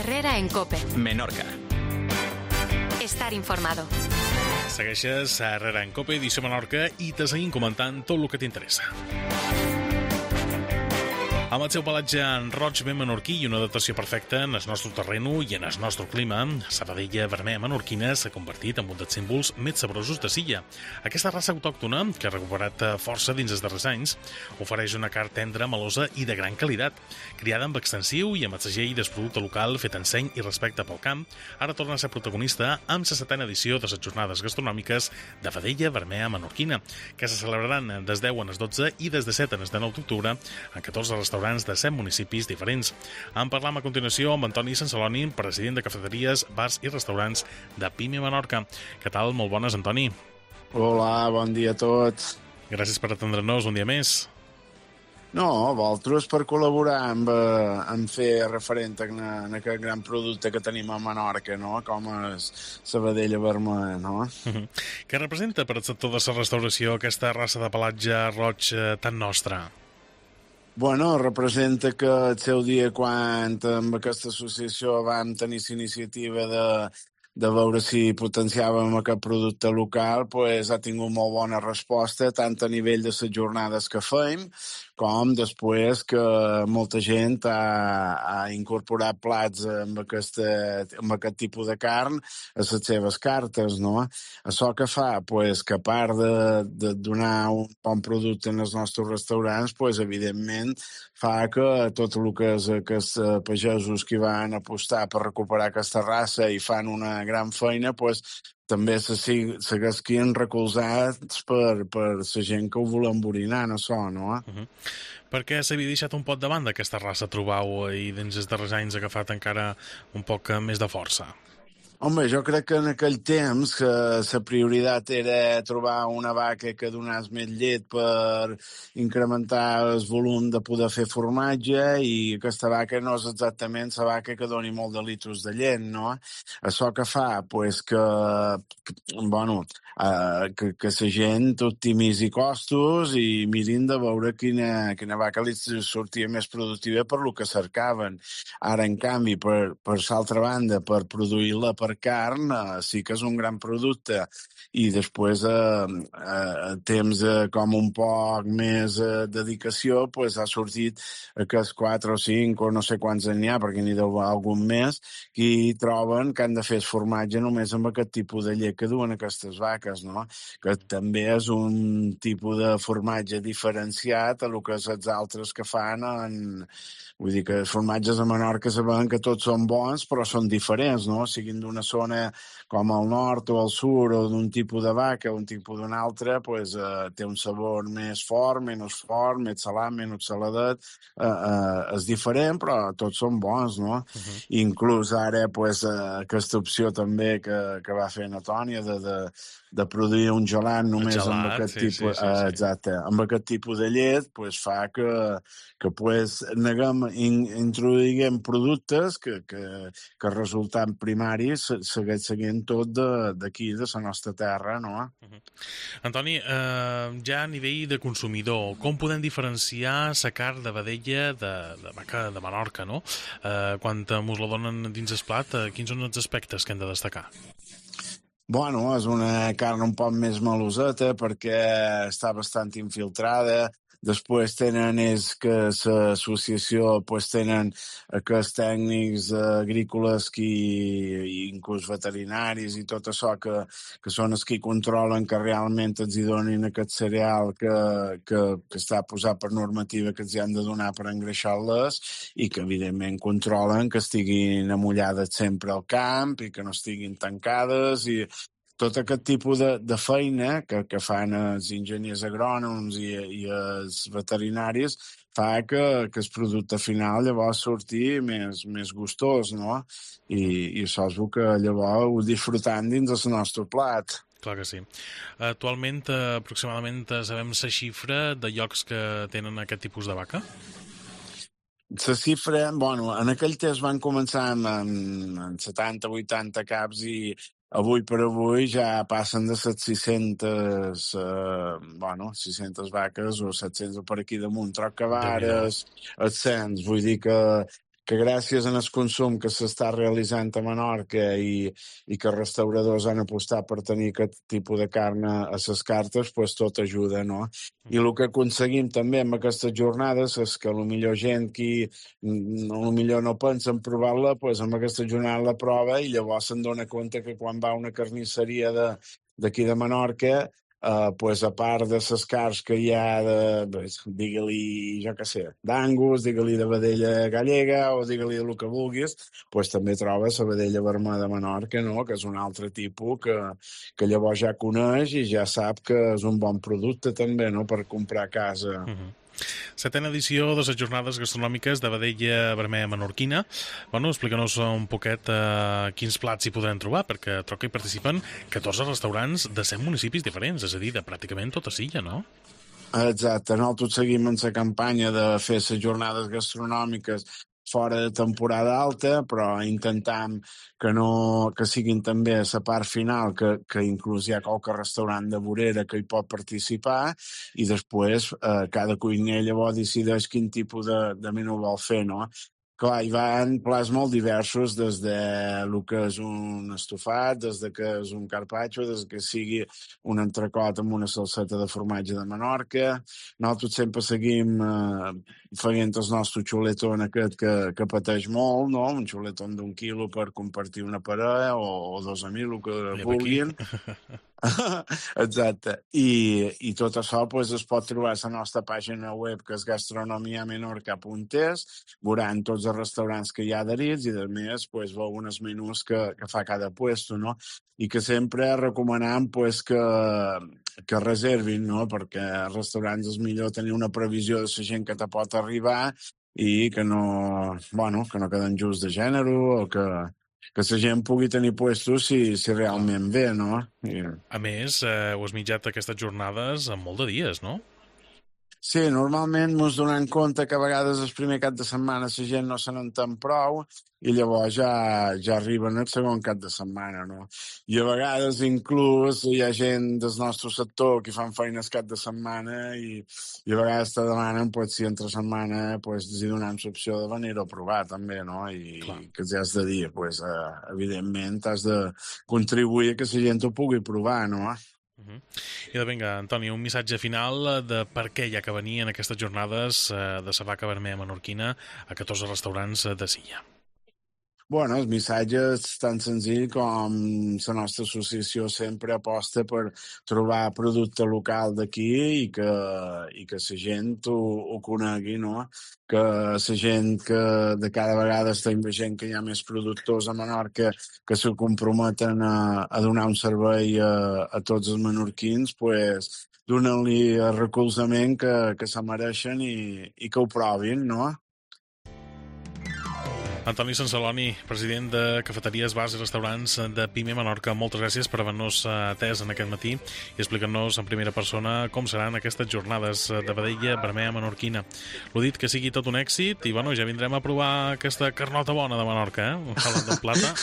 Herrera en COPE. Menorca. Estar informado. Segueixes a Herrera en COPE, edició Menorca, i te seguim comentant tot el que t'interessa. Amb el seu pelatge en roig ben menorquí i una adaptació perfecta en el nostre terreno i en el nostre clima, Sabadella vermella menorquina s'ha convertit en un dels símbols més saborosos de Silla. Aquesta raça autòctona, que ha recuperat força dins els darrers anys, ofereix una carn tendra, melosa i de gran qualitat. Criada amb extensiu i amb el segell del producte local fet en seny i respecte pel camp, ara torna a ser protagonista amb la 7a edició de les jornades gastronòmiques de Vedella vermella menorquina, que se celebraran des 10 a les 12 i des de 7 a les 9 d'octubre en 14 restaurants de 7 municipis diferents. En parlam a continuació amb Antoni Sansaloni, president de cafeteries, bars i restaurants de Pime Menorca. Què tal? Molt bones, Antoni. Hola, bon dia a tots. Gràcies per atendre'ns un dia més. No, vosaltres per col·laborar amb fer referent a aquest gran producte que tenim a Menorca, no? Com és Sabadella vermella, no? Què representa per al sector de la restauració aquesta raça de pelatge roig tan nostra? Bueno, representa que el seu dia quan amb aquesta associació vam tenir l'iniciativa de veure si potenciàvem aquest producte local, pues ha tingut molt bona resposta, tant a nivell de les jornades que fem, com després que molta gent ha incorporat plats amb aquest tipus de carn a les seves cartes, no? Això que fa, pues, que a part de donar un bon producte en els nostres restaurants, pues, evidentment, fa que tot el que és aquests pagesos que van apostar per recuperar aquesta raça i fan una gran feina, pues, també s'haguessin recolzats per la gent que ho volen emborinar en això, no? Per què s'havia deixat un pot de banda aquesta raça, trobau, i dins els darrers anys ha agafat encara un poc més de força? Home, jo crec que en aquell temps que la prioritat era trobar una vaca que donés més llet per incrementar el volum de poder fer formatge, i aquesta vaca no és exactament la vaca que doni molt de litros de llet, no? Això que fa, pues, que la gent optimitzi costos i mirin de veure quina vaca li sortia més productiva per lo que cercaven. Ara, en canvi, per l'altra banda, per produir-la per carn, sí que és un gran producte, i després temps com un poc més dedicació, pues ha sortit aquests 4 o 5 o no sé quants n'hi ha, perquè n'hi deu algun més, que troben que han de fer el formatge només amb aquest tipus de llet que duen aquestes vaques, no? Que també és un tipus de formatge diferenciat a lo que els altres que fan vull dir que els formatges a Menorca sabem que tots són bons, però són diferents, no? Siguin d'una zona com el nord o el sud, o d'un tipus de vaca o un tipus d'un altre, pues, té un sabor més fort, menys fort, més salat, menys saladet. És diferent, però tots són bons, no? Inclús ara, pues, aquesta opció també que va fer Natònia de produir un gelat només amb aquest tipus, exacte, amb aquest tipus de llet, pues, fa que pues, introduïm productes que resultant primaris segueix seguint tot d'aquí, de la nostra terra, no? Antoni, ja a nivell de consumidor, com podem diferenciar la carn de vedella de vaca de Menorca, no? Quan mos la donen dins el plat, quins són els aspectes que hem de destacar? Bueno, és una carn un poc més meloseta perquè està bastant infiltrada. Després tenen que l'associació tenen aquests tècnics agrícoles i inclús veterinaris i tot això que són els que controlen que realment els hi donin aquest cereal que està posat per normativa que els hi han de donar per engreixar-les, i que evidentment controlen que estiguin amullades sempre al camp i que no estiguin tancades, i tot aquest tipus de feina que fan els enginyers agrònoms i els veterinaris fa que el producte final llavors surti més gustós, no? I això és el que llavors ho disfrutant dins del nostre plat. Clar que sí. Actualment, aproximadament, sabem la xifra de llocs que tenen aquest tipus de vaca? La xifra, en aquell temps van començar amb 70-80 caps, i avui per avui ja passen de 600 vaques o 700 per aquí damunt, troc que vares, els 100, vull dir que que gràcies al consum que s'està realitzant a Menorca i que els restauradors han apostat per tenir aquest tipus de carn a les cartes, pues tot ajuda, no? I el que aconseguim també amb aquestes jornades és que potser gent que potser no pensa en provar-la, pues amb aquesta jornada la prova i llavors se'n dona compte que quan va a una carnisseria d'aquí de Menorca, pues a part de les carns que hi ha digue-li, jo què sé, d'Angus, digue-li de vedella gallega o digue-li del que vulguis, pues també trobes la vedella vermella de Menorca, no? Que és un altre tipus que llavors ja coneix i ja sap que és un bon producte també, no? Per comprar a casa. Setena edició de les jornades gastronòmiques de vedella vermella menorquina. Bueno, explica-nos un poquet quins plats hi podran trobar, perquè trobo que hi participen 14 restaurants de 100 municipis diferents, és a dir, de pràcticament tota Silla, no? Exacte, nosaltres seguim en la campanya de fer les jornades gastronòmiques fora de temporada alta, però intentam que siguin també a la part final, que inclús hi ha qualque restaurant de vorera que hi pot participar i després cada cuiner llavors decideix quin tipus de menú vol fer, no? Clar, hi van plats molt diversos, des de el que és un estofat, des de que és un carpaccio, des que sigui un entrecot amb una salseta de formatge de Menorca. Nosaltres sempre seguim fent el nostre xuletón aquest que pateix molt, no? Un xuletón d'1 quilo per compartir una parella o dos amics, el que vulguin. Exacte. I tot això pues, es pot trobar a la nostra pàgina web, que és gastronomiamenorca.es, veuran tots els restaurants que hi ha adherits i, a més, pues, veuen els menús que fa cada puesto, no? I que sempre recomanam pues, que reservin, no? Perquè als restaurants és millor tenir una previsió de la gent que te pot arribar i que no queden just de gènere o que la gent pugui tenir puestos si realment ve, no? A més, heu esmitjat aquestes jornades en molt de dies, no? Sí, normalment ens donem compte que a vegades el primer cap de setmana la gent no se n'entén prou i llavors ja arriben el segon cap de setmana, no? I a vegades inclús hi ha gent del nostre sector que fan feines cap de setmana i a vegades te demanen pues, si entre setmana pues, els donem l'opció de venir-ho a provar també, no? I que ja has de dir, pues, evidentment has de contribuir a que la gent ho pugui provar, no? I vinga, Antoni, un missatge final de per què hi ha que venir en aquestes jornades de la vaca vermella menorquina a 14 restaurants de Silla. Bueno, el missatge és tan senzill com la nostra associació sempre aposta per trobar producte local d'aquí i que la gent ho conegui, no? Que la gent que de cada vegada estem veient que hi ha més productors a Menorca que se comprometen a donar un servei a tots els menorquins, pues, donen-li el recolzament que se mereixen i que ho provin, no? Antoni Sansaloni, president de Cafeteries, Bars i Restaurants de Pime Menorca, moltes gràcies per haver-nos atès en aquest matí i explicar-nos en primera persona com seran aquestes jornades de vedella vermella menorquina. L'ho dit, que sigui tot un èxit i bueno, ja vindrem a provar aquesta carnota bona de Menorca, un salat de plata.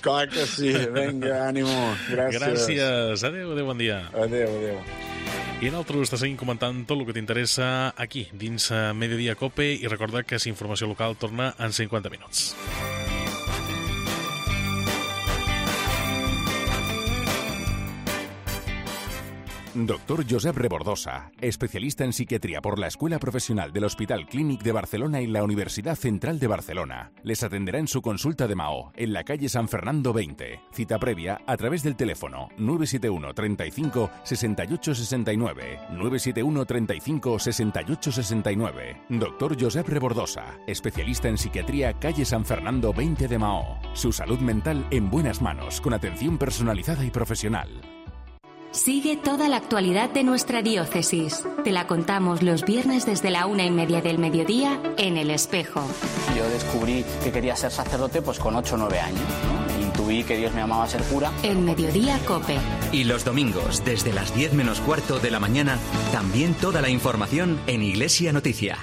Clar que sí, vinga, ànimo. Gràcies. Adéu, bon dia. Adéu. I nosaltres te seguim comentant tot el que t'interessa aquí, dins Mediodía Cope, i recorda que la informació local torna en 50 minuts. Doctor Josep Rebordosa, especialista en psiquiatría por la Escuela Profesional del Hospital Clínic de Barcelona y la Universidad Central de Barcelona. Les atenderá en su consulta de Mahó, en la calle San Fernando 20. Cita previa a través del teléfono 971 35 68 69. 971 35 68 69. Doctor Josep Rebordosa, especialista en psiquiatría, calle San Fernando 20 de Mahó. Su salud mental en buenas manos, con atención personalizada y profesional. Sigue toda la actualidad de nuestra diócesis. Te la contamos los viernes desde la 1:30 del mediodía en El Espejo. Yo descubrí que quería ser sacerdote pues con 8 o 9 años, ¿no? Intuí que Dios me llamaba a ser cura. En Mediodía Cope. Y los domingos, desde las 10 menos cuarto de la mañana, también toda la información en Iglesia Noticia.